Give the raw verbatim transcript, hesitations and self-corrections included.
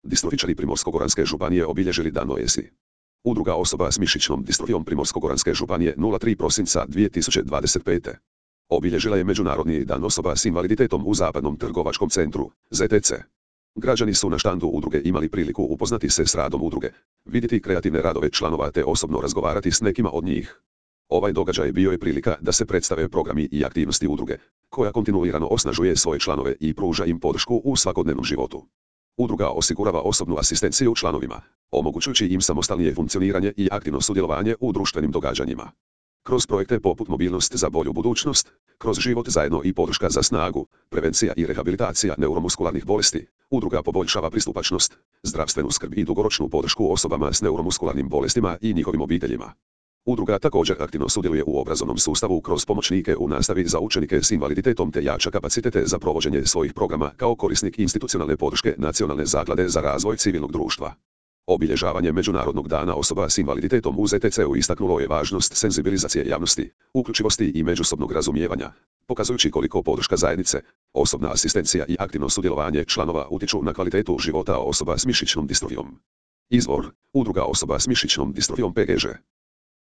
Distrofičari Primorsko-goranske županije obilježili Dan Noesi. Udruga osoba s mišićnom distrofijom Primorsko-goranske županije nula tri prosinca dvije tisuće dvadeset pete. Obilježila je Međunarodni dan osoba s invaliditetom u Zapadnom trgovačkom centru, Z T C. Građani su na štandu udruge imali priliku upoznati se s radom udruge, vidjeti kreativne radove članova te osobno razgovarati s nekima od njih. Ovaj događaj bio je prilika da se predstave programi i aktivnosti udruge, koja kontinuirano osnažuje svoje članove i pruža im podršku u svakodnevnom životu. Udruga osigurava osobnu asistenciju članovima, omogućujući im samostalnije funkcioniranje i aktivno sudjelovanje u društvenim događanjima. Kroz projekte poput Mobilnost za bolju budućnost, kroz Život zajedno i Podrška za snagu, prevencija i rehabilitacija neuromuskularnih bolesti, udruga poboljšava pristupačnost, zdravstvenu skrb i dugoročnu podršku osobama s neuromuskularnim bolestima i njihovim obiteljima. Udruga također aktivno sudjeluje u obrazovnom sustavu kroz pomoćnike u nastavi za učenike s invaliditetom te jača kapacitete za provođenje svojih programa kao korisnik institucionalne podrške Nacionalne zaklade za razvoj civilnog društva. Obilježavanje Međunarodnog dana osoba s invaliditetom u Z T C-u istaknulo je važnost senzibilizacije javnosti, uključivosti i međusobnog razumijevanja, pokazujući koliko podrška zajednice, osobna asistencija i aktivno sudjelovanje članova utječu na kvalitetu života osoba s mišićnom distrofijom. Izvor: Udruga osoba s mišićnom distrofijom P G Ž.